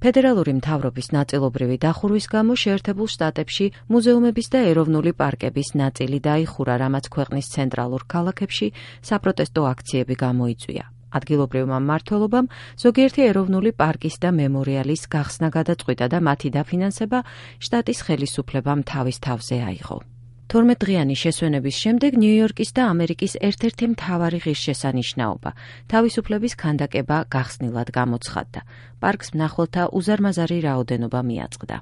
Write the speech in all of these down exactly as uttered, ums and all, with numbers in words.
ფედერალური მთავრობის ნაწილობრივი დახურვის გამო შეერთებულ შტატებში მუზეუმების და ეროვნული პარკების ნაწილი დაიხურა, რამაც ქვეყნის ცენტრალურ ქალაქებში საპროტესტო აქციები გამოიწვია. ადგილობრივმა მმართველობამ ზოგიერთი ეროვნული პარკის და მემორიალის გახსნა გადაწყვიტა და მათი დაფინანსება შტატის ხელისუფლებამ თავის თავზე აიღო. თორმეტდღიანი შესვენების შემდეგ ნიუ-იორკის და ამერიკის ერთ-ერთი მთავარი ღირსშესანიშნაობა თავისუფლების ქანდაკება გახსნილად გამოცხადდა. პარკს მნახველთა უზარმაზარი რაოდენობა მიაწყდა.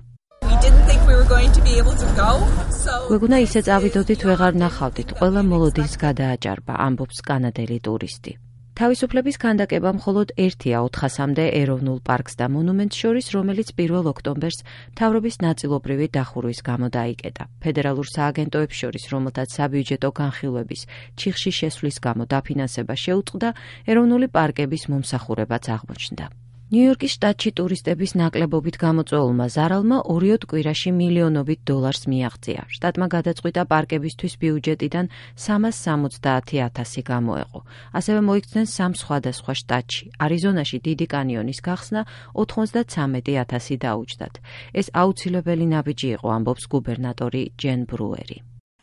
გვეგონა ისე წავიდოდით, ვეღარ ნახავდით, ყველა მოლოდინს გადააჭარბა, ამბობს კანადელი ტურისტი. თავისუფლების ქანდაკება მხოლოდ ერთია ოთხასამდე ეროვნულ პარკს და მონუმენტს შორის, რომელიც პირველ ოქტომბერს მთავრობის ნაწილობრივი დახურვის გამო დაიკეტა. ფედერალურ სააგენტოებს შორის, რომელთაც საბიუჯეტო განხილვების ჩიხში შესვლის გამო დაფინანსება შეუწყდა, ეროვნული პარკების მომსახურებაც აღმოჩნდა. ნიუ-იორკის შტატში ტურისტების ნაკლებობით გამოწვეულმა ზარალმა ორიოდ კვირაში მილიონობით დოლარს მიაღწია. შტატმა გადაწყვიტა პარკებისთვის ბიუჯეტიდან სამას სამოცდაათი ათასი გამოეყო. ასევე მოიქცნენ სამ სხვადასხვა შტატში. არიზონაში დიდი კანიონის გახსნა ოთხმოცდათრამეტი ათასი დაუჯდათ. ეს აუცილებელი ნაბიჯი იყო, ამბობს გუბერნატორი ჯენ ბრუერი.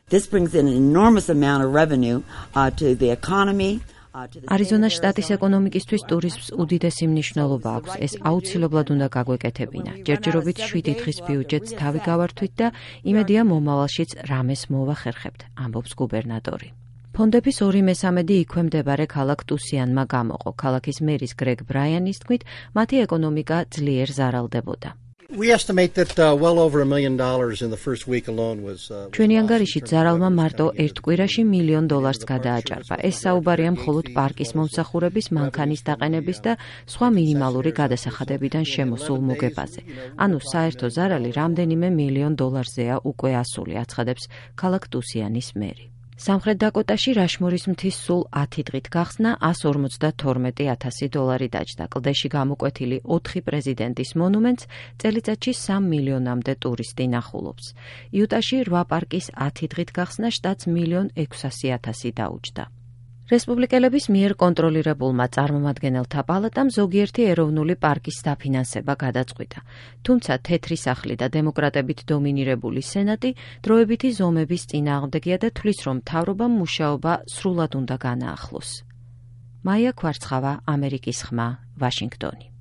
This brings in an enormous amount of revenue uh, to the economy. არიზონას შტატის ეკონომიკისთვის ტურიზმს უდიდესი მნიშვნელობა აქვს. ეს აუცილებლად უნდა გაგვეკეთებინა. ჯერჯერობით შვიდი დღის ბიუჯეტს თავი გავართვით და იმედია მომავალშიც რამეს მოვახერხებთ, ამბობს გუბერნატორი. ფონდების ორი მესამედი იქვე მდებარე ქალაქ ტუსიანმა გამოყო. ქალაქის მერის გრეგ ბრაიანის თქმით, მათი ეკონომიკა ძლიერ ზარალდებოდა. We estimate that uh, well over a million dollars in the first week alone was uh, ჩვენი ანგარიშით ზარალმა მარტო ერთ კვირაში მილიონ დოლარს გადააჭარბა. ეს საუბარია მხოლოდ პარკის მომსახურების, მანქანის დაყენების და სხვა მინიმალური გადასახადებიდან შემოსულ მოგებაზე. ანუ საერთო ზარალი რამდენიმე მილიონ დოლარზეა უკვე ასული, აცხადებს ქალაქ ტუსიანის მერი. სამხრეთ დაკოტაში რაშმორის მთის სულ ათი დღით გახსნა ასს ორმოცდათორმეტი ათასი დოლარი დაჯდა. კლდეში გამოკვეთილი ოთხი პრეზიდენტის მონუმენტს წელიწადში სამ მილიონამდე ტურისტი ნახულობს. იუტაში რვა პარკის ათი დღით გახსნა შტატს მილიონ ექვსასი ათასი დაუჯდა. რესპუბლიკელების მიერ კონტროლირებულმა წარმომადგენელთა პალატამ ზოგიერთი ეროვნული პარკის დაფინანსება გადაწყვიტა. თუმცა თეთრი სახლი და დემოკრატებით დომინირებული სენატი დროებითი ზომების წინააღმდეგია და თვლის, რომ მთავრობამ მუშაობა სრულად უნდა განაახლოს. მაია ქვარცხავა, ამერიკის ხმა, ვაშინგტონი.